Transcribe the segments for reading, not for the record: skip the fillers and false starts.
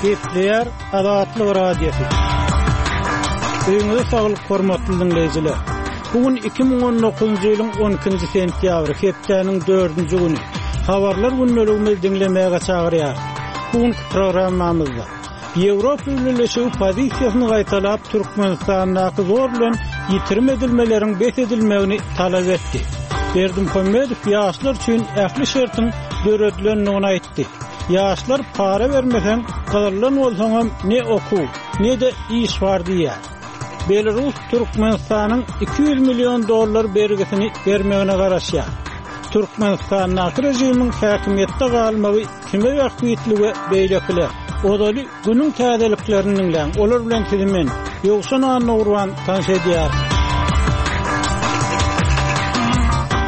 Gepleýär Azatlyk Radiosy. Öýüňize saglyk hormatly diňleýjiler. Bu gün 2019-njy ýylyň 12-nji sentýabry, hepdäniň dördünji güni. Habarlar gündeligimizi diňlemäge çagyrýarys. Bu günki programmamyzda Ýewropa Bileleşigi pozisiýasyny gaýtalap, Türkmenistandaky zor bilen ýitirim edilmeleriň bes edilmegini talap etdi. Berdimuhamedow ýaşlar üçin ähli şertiň döredilendigini aýtdy. Ýaşlar para bermeseň, gyzyldan bolsaňam ne okuw, ne-de iş bar diýýär. Belarus Türkmenistanyň 200 million dollar bergisini bermegine garaşýar. Türkmenistandaky režimiň häkimiýetde galmagy kime bähbitli we beýlekiler. Ozaly günüň täzeliklerini diňläň, olar bilen sizi men, Ýowşan Annagurban tanyş edýärin.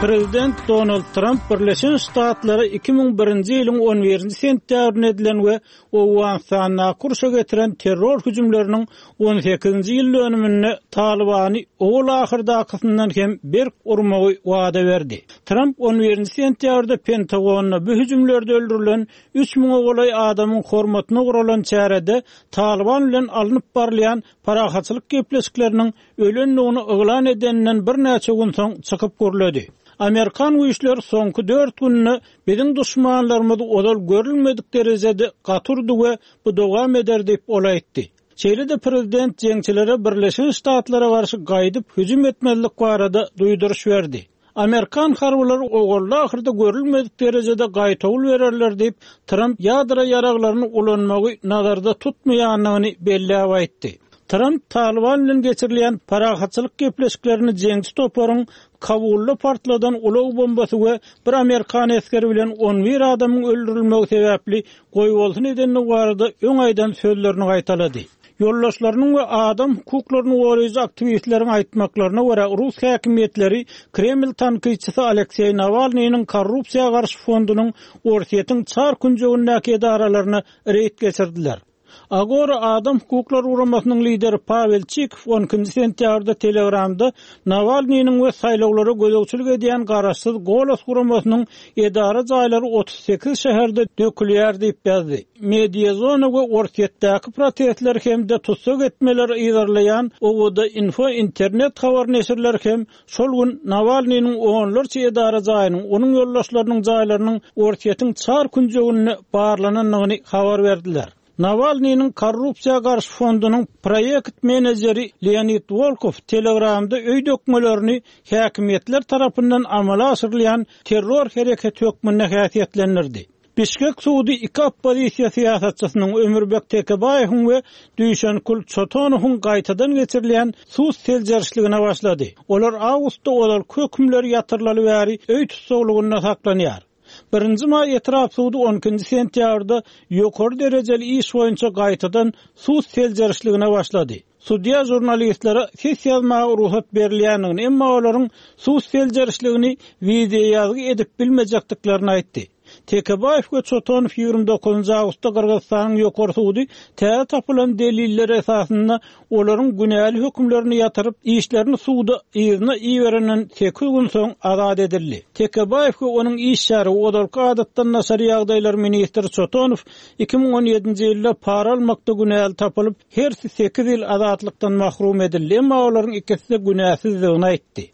Prezident Donald Tramp Birleşen Ştatlara 2001-nji ýylyň on birinji sentýabrynda edilen we Owganystandaky urşa getiren terror hüjümleriniň on sekizinji ýyl dönüminde Talybany owal-ahyrdakysyndan hem berk urmagy wada berdi. Tramp on birinji sentýabrda Pentagonda bu hüjümlerde öldürilen üç müňe golaý adamyň hormatyna guralan çärede Talyban bilen alnyp barylýan parahatçylyk gepleşikleriniň ölendigini yglan edeninden birnäçe gün soň çykyp gürledi. Amerikan güýçleri soňky dört günde biziň duşmanlarymyzy ozal görülmedik derejede gaty urdy we bu dowam eder diýip, ol aýtdy. Şeýle-de prezident jeňçilere Birleşen Ştatlara garşy gaýdyp hüjüm etmezlik barada duýduryş berdi. Amerikan harbylary owalda-ahyrda görülmedik derejede gaýtawul bererler diýip, Tramp ýadro ýaraglaryny ulanmagy nazarda tutmaýandygyny belläp aýtdy. Tramp Talyban bilen geçirilýän parahatçylyk gepleşiklerini jeňçi toparyň Kabulda partladan ulag bombasy we bir amerikan esgeri bilen 11 adamyň öldürilmegi sebäpli goýbolsun edendigi barada öň aýdan sözlerini gaýtalady. Ýoldaşlarynyň we adam hukuklaryny goraýjy aktiwistleriň aýtmaklaryna görä, rus häkimiýetleri Kreml tankytçysy Alekseý Nawalnynyň korrupsiýa garşy fondunyň Orsýetiň çar künjegindäki edaralaryna reýd geçirdiler. Agora adam hukuklary guramasynyň lideri Pawel Çikow on ikinji sentýabrda Telegramda Nawalnynyň we saýlawlara gözegçilik edýän garaşsyz Golos guramasynyň edara jaýlary 38 şäherde dökülýär diýip ýazdy. Mediazona we Orsýetdäki protestleri hem-de tussag etmeleri yzarlaýan OVD-Info internet habar neşirleri hem şol gün Nawalnynyň onlarça edara jaýynyň, onuň ýoldaşlarynyň jaýlarynyň Orsýetiň çar künjeginde barlanandygyny habar berdiler. Nawalnynyň korrupsiýa garşy fondunyň proýekt menejeri Leonid Wolkow Telegramda öý dökmelerini häkimiýetler tarapyndan amala aşyrylýan terror hereketi hökmünde häsiýetlendirdi. Bişkek sudy iki oppozisiýa syýasatçysynyň Ömürbek Tekebaýewiň we Düýşenkul Çotonowyň gaýtadan geçirilýän sud seljerişligine başlady. Olar awgustda ozalky hökümleri ýatyrylaly bäri öý tussaglygynda saklanýar. Birinji maý etrap sudy on ikinji sentýabrda ýokary derejeli iş boýunça gaýtadan sud seljerişligine başlady. Sudýa žurnalistlere ses ýazmaga rugsat berilýändigini, emma olaryň sud seljerişligini wideoýazgy edip bilmejekdiklerini aýtdy. Tekebaýew we Çotonow 29 awgustda Gyrgyzystanyň Ýokary sudy täze tapylan deliller esasynda olaryň günäli hökümlerini ýatyryp, işlerini suda yzyna iberenden sekiz gün soň azat edildi. Tekebaýew we onuň iş şärigi, ozalky adatdan daşary ýagdaýlar ministri Çotonow 2017-nji ýylda para almakda günäli tapylyp, hersi sekiz ýyl azatlykdan mahrum edildi, emma olaryň ikisi-de günäsizdigini aýtdy.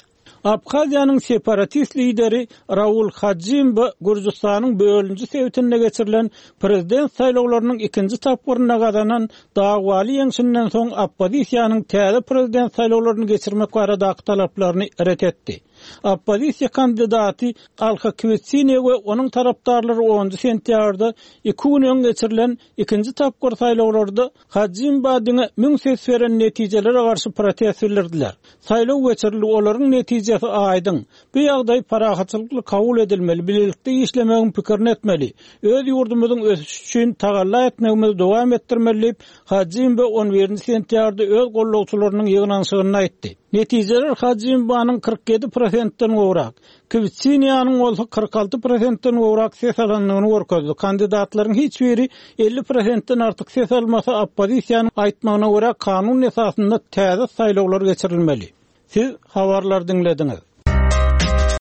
Abhaziýanyň separatist lideri Raul Hajimba Gürjüstanyň bölüniji sebitinde geçirilen prezident saýlawlarynyň ikinji tapgyrynda gazanan dawaly ýeňşinden soň oppozisiýanyň täze prezident saýlawlaryny geçirmek baradaky talaplaryny ret etdi. Oppozisiýa kandidaty Alha Kwitsiniýa we onuň tarapdarlary onunjy sentýabrda iki gün öň geçirilen ikinji tapgyr saýlawlarda Hajimba diňe müň ses beren netijelere garşy protest bildirdiler. Saýlaw geçirildi, olaryň netijesi aýdyň. Bu ýagdaý parahatçylykly kabul edilmeli, bilelikde işlemegiň pikirini etmeli. Öz ýurdumyzyň ösüşi üçin tagalla etmegimizi dowam etdirmeli diýip, Hajimba on birinji sentýabrda öz goldawçylarynyň ýygnanyşygynda aýtdy. Netijeler Hajimbanyň 47 prosentden gowrak, Kwitsiniýanyň bolsa 46 prosentden gowrak ses alandygyny görkezdi. Kandidatlaryň hiç biri 50 prosentden artyk ses almasa, oppozisiýanyň aýtmagyna görä, kanun esasynda täze saýlawlar geçirilmeli. Siz habarlary diňlediňiz.